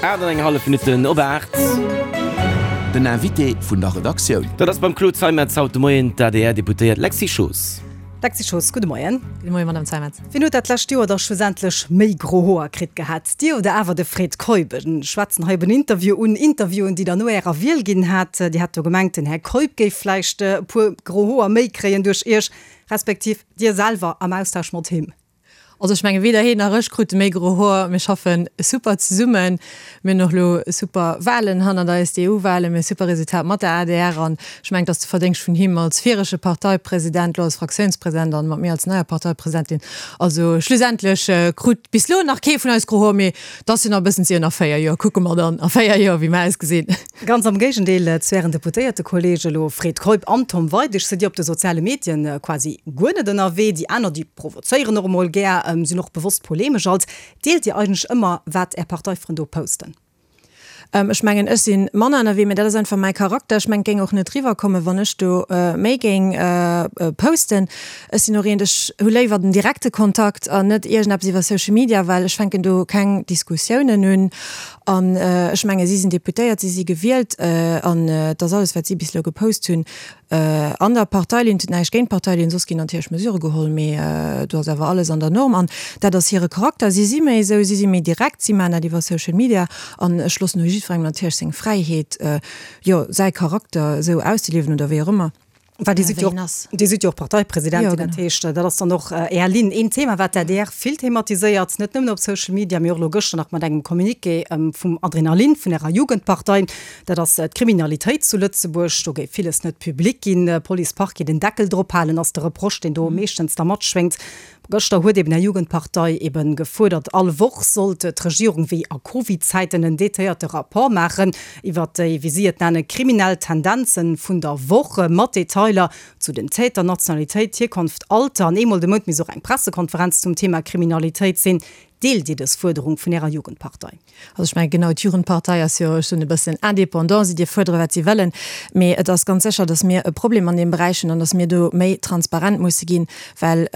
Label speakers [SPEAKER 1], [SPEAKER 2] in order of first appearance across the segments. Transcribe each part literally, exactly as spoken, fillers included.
[SPEAKER 1] Aacht an eng hallef Minutten op aacht.
[SPEAKER 2] Den Invité vun der Redaktioun.
[SPEAKER 1] Dat ass beim Claude Zeimetz haut de Moien d'ADR-Deputéiert Lexy Schoos.
[SPEAKER 3] Lexy Schoos, gudde Moien.
[SPEAKER 4] Gudde Moien, Madame Zeimetz.
[SPEAKER 3] Wien huet dat lescht Joer da schlussendlech méi gro Hoer kritt gehat, Dir oder awer de Fred Keup? Ech schwätzen hei op en Interview un, Interviewen, déi Der no Ärer Wiel ginn hat. Dir hat do gemengt, den Här Keup géif vläicht e puer gro Hoer méi kréien duerch Iech, respektiv Dir selwer am Austausch mat him.
[SPEAKER 4] Also ech menge weder heen nach ech krute méi gro Hoer. Mir schaffe super zesummen. Mir hunn och elo super Wahlen hannert eis, d'EU-Wahlen, mir hu super Resultat mat der adr an ech mengen, et ass de Verdéngscht vun him als virege Parteipresident, elo als Fraktiounspresident an mat mir als neier Parteipresidentin. Also schlussendlech krut bis elo nach kee vun eis gro Hoer, mee et ass jo nach e bëssen ze ier, nach véier Joer kucke mer dann a véier Joer wéi mer ausgesinn.
[SPEAKER 3] Ganz am Géigendeel zu Ären Deputéiertekolleege elo Fred Keup an Tom Weidig sidd Dir op de soziale Medien quasi guer net ënnerwee. Déi aner, déi provozéieren och emol gär, sinn och bewosst polemesch. Alt deelt Dir eigentlech ëmmer, wat Är Parteifrënn do posten?
[SPEAKER 4] Ech mengen, ech si manner ënnerwee, mä dat ass einfach mäi Charakter. Ech mengen, et géing och net riwwerkommen, wann ech do méi géing posten. Ech sinn och eent, ech hu léiwer den direkte Kontakt an net iergendeppes iwwer Social Media, well ech fänken do keng Diskussiounen un. An ech menge si sinn Deputéiert, si si gewielt an et ass alles, wat si bis elo gepost hunn, an der Parteilinn. Et huet näischt géint d'Parteilinn, soss ginn natierlech Mesurë geholl, mee do ass awer alles an der Norm. An dat ass hire Charakter. Si si méi esou, si si méi direkt, si maachen dat iwwer Social Media an ech loossen och jiddwerengem natierlech seng Fräiheet, jo, säi Charakter esou auszeliewen oder wéi och ëmmer.
[SPEAKER 3] Well Dir sidd jo och, Dir sidd jo och Parteipresidentin, dat heescht, dat ass dann och Är Linn. Een Thema, wat d'ADR vill thematiséiert, net nëmmen op Social Media, mee och elo gëschter nach mat engem Communiqué vum Adrenalin, vun Ärer Jugendpartei, dat ass d'Kriminalitéit zu Lëtzebuerg. Do géif villes net public ginn, Police, Parquet den Deckel drop halen, ass de Reproche, deen do meeschtens da matschwéngt. Gëschter huet eben Är Jugendpartei eben gefuerdert, all Woch sollt d'Regierung wéi a Covid-Zäiten en detailléierte Rapport maachen iwwert déi, wéi si et nennen, kriminell Tendenzen vun der Woch, mat Detailer zu den Täter, Nationalitéit, Hierkonft, Alter. An eemol de Mount misst och eng Pressekonferenz zum Thema Kriminalitéit sinn. Deelt Dir dës Fuerderung vun Ärer Jugendpartei?
[SPEAKER 4] Also ech mengen, genau, d'Jugendpartei ass jo schonn e bëssen indépendant, si dierf fuerdere wat si wëllen, mee et ass ganz sécher, datt mir e Problem an deem Beräich hunn an datt mir do méi transparent musse ginn, well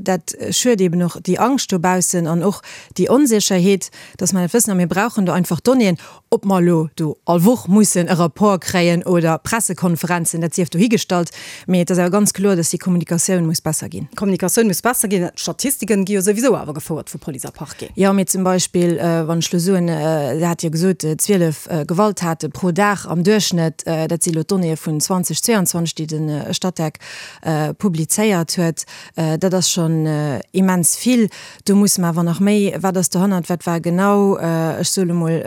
[SPEAKER 4] dat schürt eeben och déi Angscht dobaussen an och déi Onsécherheet, datt mer net wëssen. A mir brauchen do einfach Donnéeën. Ob mer elo do all Woch mussen e Rapport kréien oder Pressekonferenzen, dat sief dohigestallt, mee et ass awer ganz kloer, dass déi Kommunikatioun muss besser ginn.
[SPEAKER 3] D'Kommunikatioun muss besser ginn. D'Statistiken gi jo souwisou awer gefouert vu Police a Parquet.
[SPEAKER 4] Jo, mee zum Beispill, wann ech elo soen, Der hat jo gesot, zwielef Gewalttate pro Dag am Duerchschnëtt, dat si elo d'Donnéeë vun zweitausendzweiundzwanzeg, déi de Statec publizéiert huet, dat ass schonn immens vill. Do musse mer awer nach méi, wat ass dohannert, wat war genau, ech soe lo mol,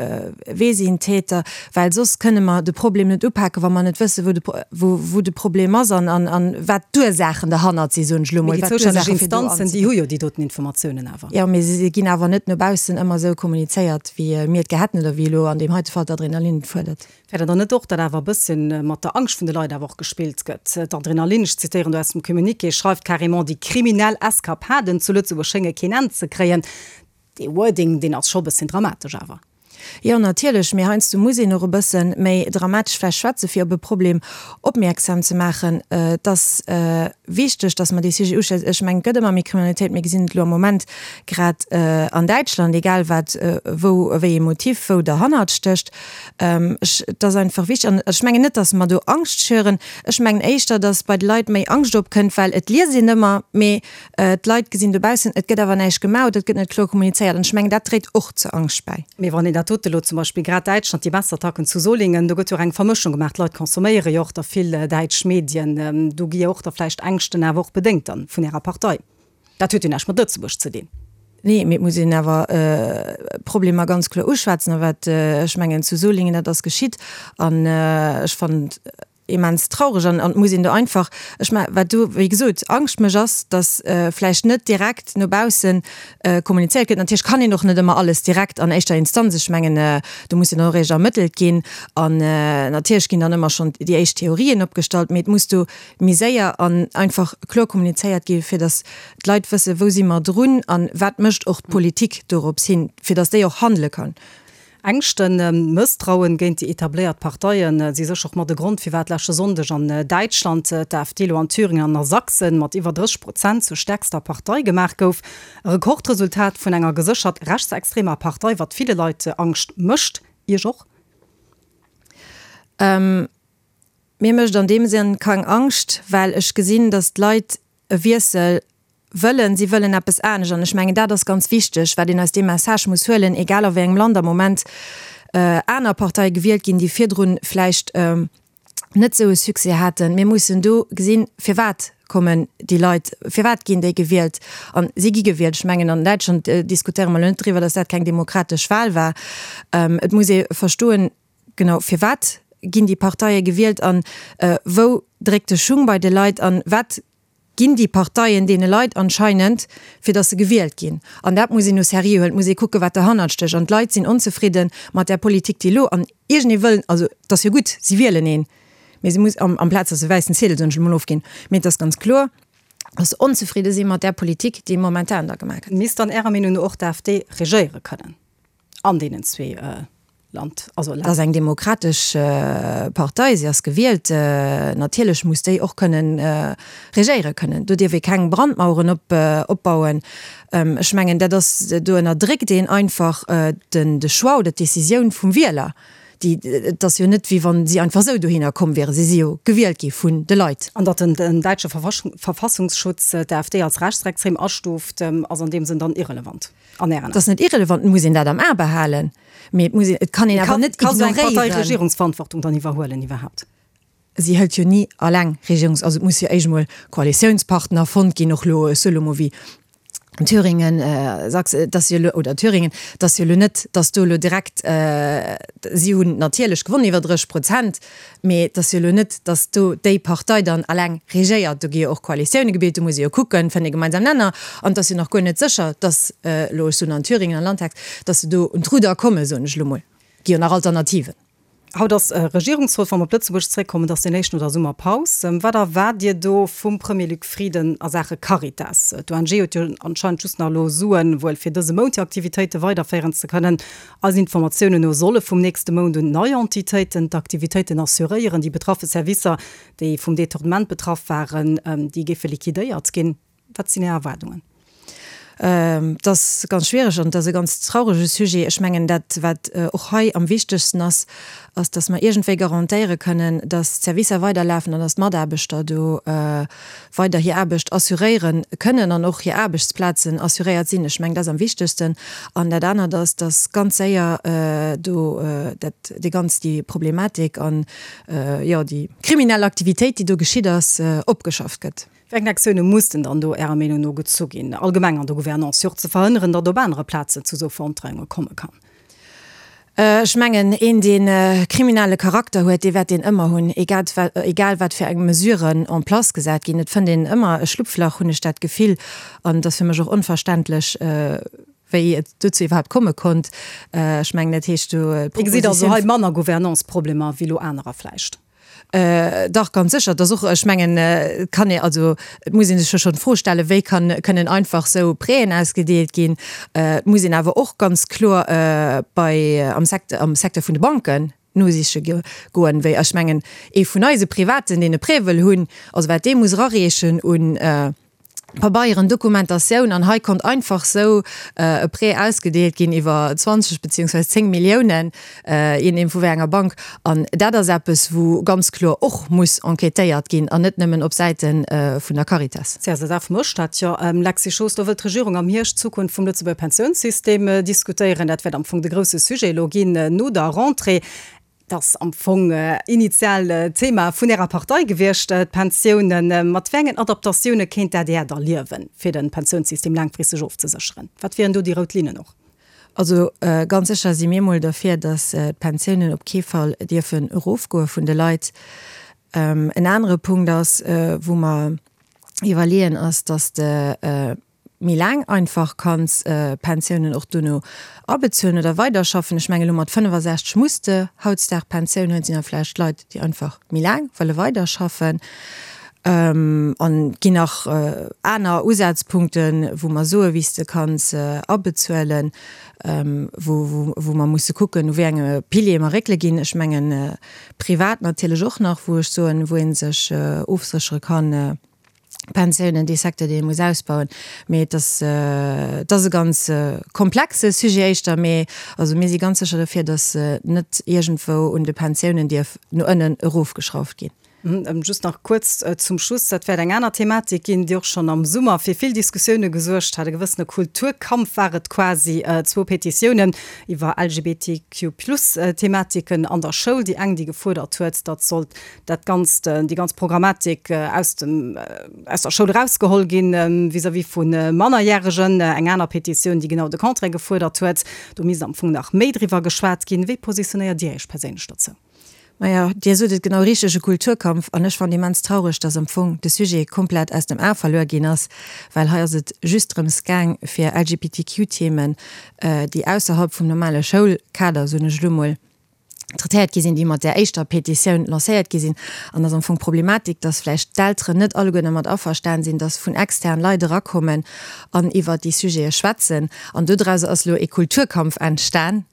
[SPEAKER 4] wee sinn d'Täter, well soss kënne mer de Problem net upaken, wa mer net wëssen, wou de, wou de Problem ass an, an, an wat d'Ursaachen derhannert sinn, soen ech lo mol.
[SPEAKER 3] Mee déi zoustänneg Instanzen, déi hu jo déi doten Informatiounen awer.
[SPEAKER 4] Jo, mee se ginn awer net no baussen ëmmer esou kommunizéiert, wéi mir et gär hätten oder wéi elo an deem heite Fall d'Adrenalin et fuerdert.
[SPEAKER 3] Fäert Der dann net och, datt awer e bësschen mat der Angscht vun de Leit awer och gespillt gëtt? D'Adrenalin, ech zitéieren do aus dem Communiqué, schreift carrément, déi kriminell Eskapaden zu Lëtzebuerg schénge keen Enn ze kréien. Dee Wording, deen ass scho e bësschen dramatesch awer.
[SPEAKER 4] Jo, natierlech, mee heiansdo muss een och e bësse méi dramatesch vläicht schwätzen, fir op e Problem opmierksam ze maachen. Et ass wichteg, datt mer dee Sujet uschwätzen. Ech mengen, et gëtt ëmmer méi Kriminalitéit. Mir gesinn et elo am Moment grad an Däitschland, egal wat, wou, wéi ee Motiv wou derhannert stécht. Ech, et ass einfach wichteg. An ech mengen net, datt mer do Angscht schüren. Ech mengen éischter, datt bei de Leit méi Angscht opkënnt, well et liest een ëmmer, mee d'Leit gesinn dobaussen, et gëtt awer näischt gemaach oder et gëtt net kloer kommunizéiert. An ech mengen, dat dréit och zur Angscht bäi.
[SPEAKER 3] Mee wann een dat dote elo zum Beispill, grad Däitschland, déi Messerattacken zu Solingen, do gëtt jo och eng Vermëschung gemaach, d'Leit consomméiere jo och da vill däitsch Medien, do gi jo och da vläicht Ängschten awer och bedéngt dann vun Ärer Partei. Dat huet jo näischt mat Lëtzebuerg ze dinn.
[SPEAKER 4] Nee, mee et muss een awer d'Problemer ganz kloer uschwätzen. A wat ech mengen zu Solingen, dat ass geschitt an ech fannen et immens traureg an et muss een do einfach, ech mengen, wat do wéi gesot Angscht mécht, ass, datt vläicht net direkt no bausse kommunizéiert gëtt. Natierlech kann een och net ëmmer alles direkt an éischter Instanz, ech mengen, do muss jo dann och eréischt ermëttelt ginn an natierlech ginn dann ëmmer schonn déi éischt Theorien opgestallt, mee et muss do méi séier an einfach kloer kommunizéiert gi fir datt d'Leit wëssen, wou si mer drun an wat mécht och d'Politik dorops hin, fir datt déi och handele kann.
[SPEAKER 3] Ängschten, Mësstrauen géint déi etabléiert Parteien si sécher och mat e Grond, firwat leschte Sonndeg an Däitschland d'AfD elo an Thüringen an a Sachsen mat iwwer drësseg Prozent zur stäerkster Partei gemaach gouf. E Rekordresultat vun enger geséchert rechtsextremer Partei, wat ville Leit Angscht mécht. Iech och?
[SPEAKER 4] Mir mécht an deem Sënn keng Angscht, well ech gesinn, datt d'Leit e Wiessel wëllen, si wëllen eppes anescht. An ech mengen, dat ass ganz wichteg, wat een aus deem Message muss huelen, egal a wéi engem Land am Moment aner Parteie gewielt ginn, déi virdrun vläicht net esou e Succès haten. Mir mussen do gesinn, firwat kommen déi Leit, firwat ginn déi gewielt? A si gi gewielt. Ech mengen, an Däitschland diskutéiere mer elo net driwwer, datt dat keng demokratesch Wahl war. Et muss ee verstoen, genau, firwat ginn déi Parteie gewielt a wou dréckt de Schung bei de Leit a wat ginn déi Parteien deene Leit anscheinend, fir datt se gewielt ginn. An dat muss een au sérieux huelen. Et muss ee kucken, wat derhannert stécht. An d'Leit sinn onzefridde mat där Politik, déi elo, an iergendee wëllen, also et ass jo gutt, si wielen een, mee se muss, amplaz datt se e wäissen Ziedel, soen ech elo mol, ofginn. Mee et ass ganz kloer, datt se onzefridde si mat där Politik, déi momentan da gemaach gëtt.
[SPEAKER 3] Misst dann Ärer Meenung no och d'AfD regéiere kënnen an deenen zwee Land, also
[SPEAKER 4] Länner? Dat ass eng demokratesch Partei, si ass gewielt, natierlech muss déi och kënnen regéiere kënnen. Do dierf ee keng Brandmaueren opbauen. Ech mengen, dat ass, do ënnerdréckt een einfach den de Choix oder d'Decisioun vum Wieler. Déi, et ass jo net, wéi wa si einfach esou dohinner komm wieren. Si si jo gewielt gi vun de Leit.
[SPEAKER 3] An datt den däitsche Verfassungsschutz d'AfD als rechtsextrem astuuft, ass an deem Sënn dann irrelevant an Ären Aen?
[SPEAKER 4] Et ass net irrelevant, et muss een dat am A behalen, mee et muss een, et kann een awer net
[SPEAKER 3] Kann esou eng Partei
[SPEAKER 4] ignoréieren.
[SPEAKER 3] Regierungsverantwortung dann iwwerhuelen iwwerhaapt?
[SPEAKER 4] Si hëlt jo ni alleng Regierungs-, also et muss jo éischt emol Koalitiounspartner fonnt ginn, och elo, ech soe lo mol wéi Thüringen, Sachsen, et ass jo elo, oder Thüringen, et ass jo elo net, datt do elo direkt, si hunn natierlech gewonn iwwer drësseg Prozent, mee et ass jo elo net, datt do déi Partei dann alleng regéiert. Do gi jo och Koalitioune gebilt, do muss ee jo kucken, fënnt ee gemeinsam Nenner. An et ass jo nach guer net sécher, datt elo, ech soen an Thüringen, an Landtags, datt se do un d'Rudder kommen, soen ech elo mol. Et gi jo nach Alternativen.
[SPEAKER 3] Haut ass Regierungsrot. Wa mer op Lëtzebuerg zréckkommen, et ass deen éischten no der Summerpaus. Wat erwaart Dir do vum Premier Luc Frieden a Saache Caritas? D'ONG huet jo anscheinend just nach elo Suen, wuel fir dëse Mount hir Aktivitéite weiderféieren ze kënnen. Eisen Informatiounen no solle vum nächste Mount un nei Entitéiten d'Aktivitéiten assuréieren. Déi betraffe Servicer, déi vum Detournement betraff waren, déi géife liquidéiert ginn. Wat sinn Är Erwaardungen?
[SPEAKER 4] Et ass ganz schwiereg an et ass e ganz traurege Sujet. Ech mengen, dat, wat och hei am wichtegsten ass, ass, dass mer iergendwéi garantéiere kënnen, dass d'Servicer weiderlafen an dass d'Mataarbechter do weider hir Aarbecht assuréiere kënnen an och hir Aarbechtsplazen assuréiert sinn. Ech mengen, dat ass am wichtegsten. An dat anert ass, dass ganz séier do dat, déi ganz, déi Problematik an, jo, déi kriminell Aktivitéit, déi do geschitt ass, opgeschafft gëtt.
[SPEAKER 3] Wéi eng Aktioune mussen dann do Ärer Meenung no gezu ginn, allgemeng an der Gouvernance, fir och ze verhënneren, datt op anere Plazen zu esou Verontreiunge komme kann?
[SPEAKER 4] Ech mengen, een, dee kriminelle Charakter huet, dee wäert deen ëmmer hunn, egal wat fir eng Mesuren en place gesat ginn. Et fënnt een ëmmer e Schlupflach, hunn ech dat Gefill. An et ass fir mech och onverständlech, wéi et dozou iwwerhaapt komme konnt. Ech mengen, dat heescht do
[SPEAKER 3] Dir gesitt also hei manner Gouvernance-Problemer wéi elo anerer vläicht?
[SPEAKER 4] Dach, ganz sécher. Et ass och, ech mengen, et kann ee, also et muss ee sech jo schonn d'Fro stellen, wéi kann, kënnen einfach esou Prêten ausgedeelt ginn. Et muss een awer och ganz kloer bei, am Secteur, am Secteur vun de Banken nosiche goen, wéi, ech mengen, ee vun eise Privaten, deen e Prêt wëll hunn, also wat dee muss erareechen un Pabeieren, Dokumentatioun, an hei konnt einfach sou e Prêt ausgedeelt ginn iwwer zwanzeg beziehungsweise zéng Milliounen, je nodeem vu wéi enger Bank. An dat ass eppes, wou ganz kloer och muss enquêtéiert ginn an net nëmmen op Säite vun der Caritas.
[SPEAKER 3] C S S F mécht dat jo. Lexy Schoos, do wëllt d'Regierung am Hierscht d'Zukunft vum Lëtzebuerger Pensiounssystem diskutéieren. Dat wäert am Fong de grousse Sujet elo ginn no der Rentrée. Et ass am Fong initial d'Thema vun Ärer Partei gewiescht, d'Pensiounen. Mat wéi engen Adaptatioune kéint d'ADR da liewen, fir de Pensiounssystem laangfristeg ofzesécheren? Wat wieren do déi rout Linnen och?
[SPEAKER 4] Also ganz sécher si mir mol derfir, datt d'Pensiounen op kee Fall dierfen erofgoe vun de Leit. En anere Punkt ass, wou mer iwwerleeën, ass, datt de méi laang einfach kanns Pensiounen och dono abezuelen oder weiderschaffen. Ech mengen, elo mat fënnefasechzeg muss de hautdesdaags Pensioun huelen. Et sinn da vläicht Leit, déi einfach méi laang wëlle weiderschaffen. An et ginn nach aner Usazpunkten, wou mer soen, wéi s de kanns abezuelen, wou wou mer musse kucken, u wéi enge Piliere mer réckele ginn. Ech mengen privat natierlech och nach, wou ech soen, wou ee sech ofséchere kann, Pensiounen, dee Secteur, dee ee muss ausbauen. Mee et ass, et ass e ganz komplexe Sujet éischter. Mee also mir si ganz sécher dofir, datt net iergendwou un de Pensiounen dierf no ënnen erofgeschrauft ginn.
[SPEAKER 3] Just nach kuerz zum Schluss, dat wäert eng aner Thematik ginn, déi och schonn am Summer fir vill Diskussioune gesuergt hat. E gewëssene Kulturkampf war et quasi, zwou Petitiounen iwwer LGBTQ-Plus-Thematiken an der Schoul. Déi eng, déi gefuerdert huet, datt sollt dat Ganzt, déi ganz Programmatik aus dem, aus der Schoul erausgeholl ginn vis-à-vis vu Mannerjäregen. Eng aner Petitioun, déi genau de Contraire gefuerdert huet. Do misst am Fong nach méi driwwer geschwat ginn. Wéi positionéiert Dir Iech perséinlech dozou?
[SPEAKER 4] Maja, Dir sot et genau richteg, e Kulturkampf. An ech fannen immens traureg, dass am Fong de Sujet komplett aus dem A verluer ginn ass, well hei ass et just drëms gaang, fir L G B T Q Themen, déi ausserhalb vum normale Schoulkader, soen ech elo mol, traitéiert gi sinn, déi mat där éischter Petitioun lancéiert gi sinn. An dass am Fong d'Problematik, dass vläicht d'Elteren net alleguer dermat averstan sinn, dass vun extern Leit erakommen an iwwert déi Sujete schwätzen. An dodrauser ass elo e Kulturkampf entstan,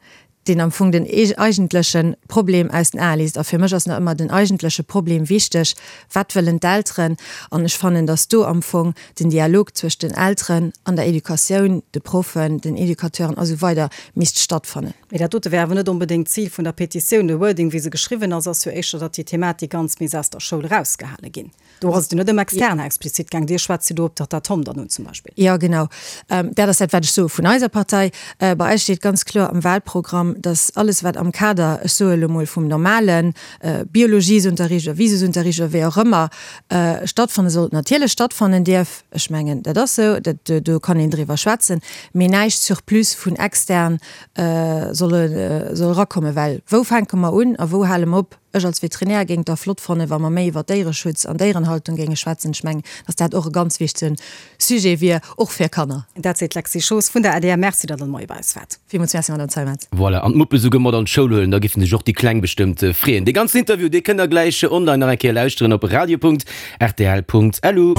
[SPEAKER 4] deen am Fong den eigentleche Problem aus den Ae léisst. A fir mech ass nach ëmmer den eigentleche Problem wichteg, Wat wëllen d'Elteren? An ech fannen, dass do am Fong den Dialog zwëscht den Elteren an der Educatioun, de Proffen, den Educateuren a sou weider misst stattfannen.
[SPEAKER 3] Mee dat dote wär awer net onbedéngt d'Zil vun der Petitioun. De Wording, wéi se geschriwwen ass, ass jo éischter, datt déi Thematik ganz misst aus der Schoul erausgehale ginn. Do ass et jo net ëm Externer explizit gaang. Dir schwätzt jo do op d'Tatom dann un zum Beispill.
[SPEAKER 4] Jo, genau. Dat ass dat, wat ech soe vun eiser Partei. Bei eis steet ganz kloer am Wahlprogramm, dass alles, wat am Kader, ech soe elo mol, vum normale Biologiesunterricht oder Wisusunterricht oder wéi och ëmmer stattfanne soll, natierlech stattfannen dierf. Ech mengen, dat ass esou, dat, do kann een driwwer schwätzen, mee näischt surplus vun extern soll soll erakommen. Well wou fänke mer un a wou hale mer op? Ech als Veterinär géing et da flott fannen, wa mer méi iwwer Déiereschutz an Déierenhaltung géinge schwätzen. Ech mengen, dass dat och e ganz wichtege Sujet wier, och fir Kanner.
[SPEAKER 3] Dat seet d'Lexy Schoos vun der A D R. Merci, datt Der de Moie bei eis waart.
[SPEAKER 4] Villmools Merci, Madame Zeimetz.
[SPEAKER 1] Voilà, an d'Muppe souguer mat an d'Schoul huelen, da giffen sech och déi Kleng bestëmmt freeën. Dee ganzen Interview, dee kënnt der gläich online nach eng Kéier lauschteren op radio Punkt rtl Punkt lu.